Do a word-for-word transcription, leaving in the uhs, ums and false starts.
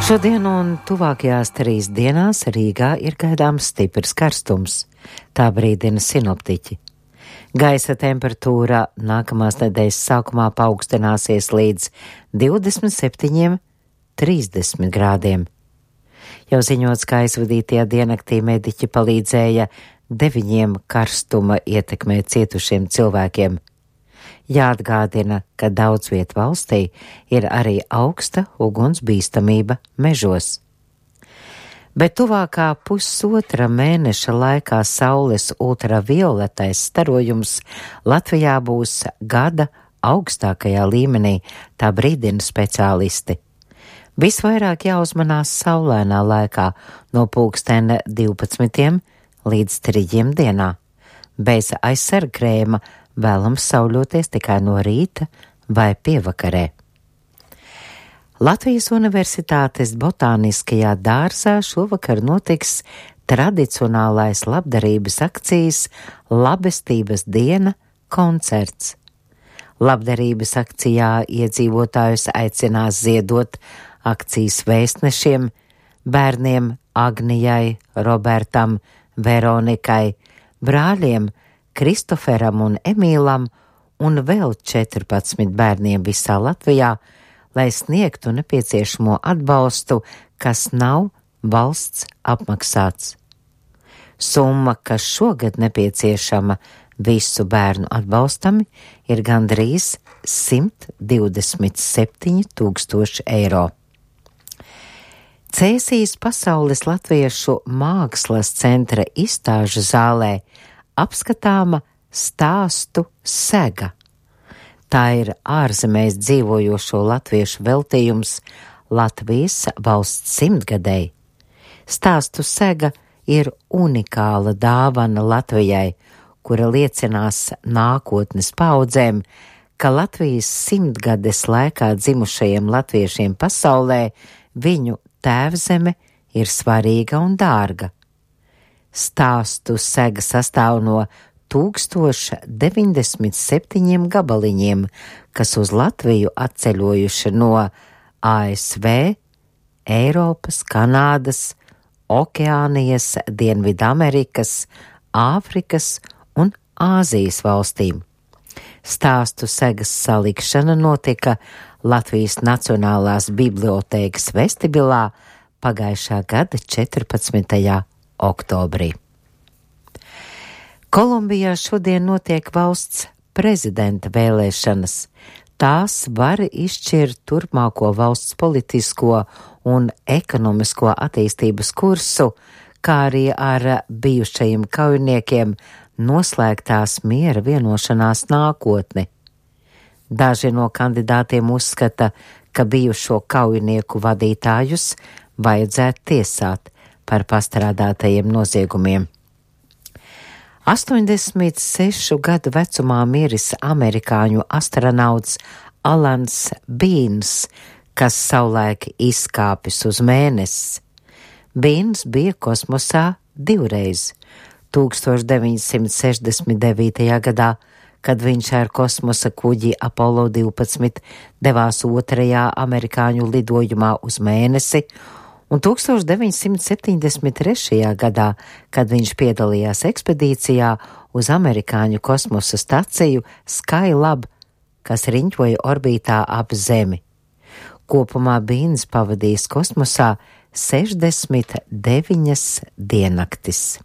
Šodien un tuvākajās trīs dienās Rīgā ir gaidāms stiprs karstums, tā brīdina sinoptiķi. Gaisa temperatūra nākamās nedēļas sākumā paaugstināsies līdz divdesmit septiņiem līdz trīsdesmit grādiem. Jau ziņots, ka aizvadītajā diennaktī mediķi palīdzēja deviņiem karstuma ietekmē cietušiem cilvēkiem. Jāatgādina, ka daudz viet valstī ir arī augsta ugunsbīstamība mežos. Bet tuvākā pusotra mēneša laikā saules ultravioletais starojums Latvijā būs gada augstākajā līmenī, tā brīdina speciālisti. Visvairāk jāuzmanās saulainā laikā no pulksten divpadsmitiem līdz trījiem dienā. Bez aizsargkrēma vēlams sauļoties tikai no rīta vai pievakarē. Latvijas Universitātes botāniskajā dārzā šovakar notiks tradicionālais labdarības akcijas Labestības diena koncerts. Labdarības akcijā iedzīvotājus aicinās ziedot akcijas vēstnešiem, bērniem Agnijai, Robertam, Veronikai, brāļiem Kristoferam un Emīlam un vēl četrpadsmit bērniem visā Latvijā, lai sniegtu nepieciešamo atbalstu, kas nav valsts apmaksāts. Summa, kas šogad nepieciešama visu bērnu atbalstam, ir gandrīz simt divdesmit septiņi tūkstoši eiro. Cēsīs Pasaules latviešu mākslas centra izstāžu zālē apskatāma stāstu sega. Tā ir ārzemēs dzīvojošo latviešu veltījums Latvijas valsts simtgadēji. Stāstu sega ir unikāla dāvana Latvijai, kura liecinās nākotnes paudzēm, ka Latvijas simtgades laikā dzimušajiem latviešiem pasaulē viņu tēvzeme ir svarīga un dārga. Stāstu sega sastāv no tūkstoš deviņdesmit septiņiem gabaliņiem, kas uz Latviju atceļojuši no A S V, Eiropas, Kanādas, Okeānijas, Dienvidamerikas, Āfrikas un Āzijas valstīm. Stāstu segas salikšana notika Latvijas Nacionālās bibliotēkas vestibilā pagājušā gada četrpadsmitajā oktobrī. Kolumbijā šodien notiek valsts prezidenta vēlēšanas. Tās var izšķirt turpmāko valsts politisko un ekonomisko attīstības kursu, kā arī ar bijušajiem kaujiniekiem noslēgtās miera vienošanās nākotni. Daži no kandidātiem uzskata, ka bijušo kaujinieku vadītājus vajadzētu tiesāt par pastrādātajiem noziegumiem. astoņdesmit sešu gadu vecumā miris amerikāņu astronauts Alans Bīns, kas savulaik izkāpis uz Mēnesi. Bīns bija kosmosā divreiz – tūkstoš deviņsimt sešdesmit devītajā gadā, kad viņš ar kosmosa kuģi Apollo divpadsmit devās otrajā amerikāņu lidojumā uz Mēnesi, un tūkstoš deviņsimt septiņdesmit trešajā gadā, kad viņš piedalījās ekspedīcijā uz amerikāņu kosmosa staciju Skylab, kas riņķoja orbītā ap Zemi. Kopumā Bīns pavadījis kosmosā sešdesmit deviņas diennaktis.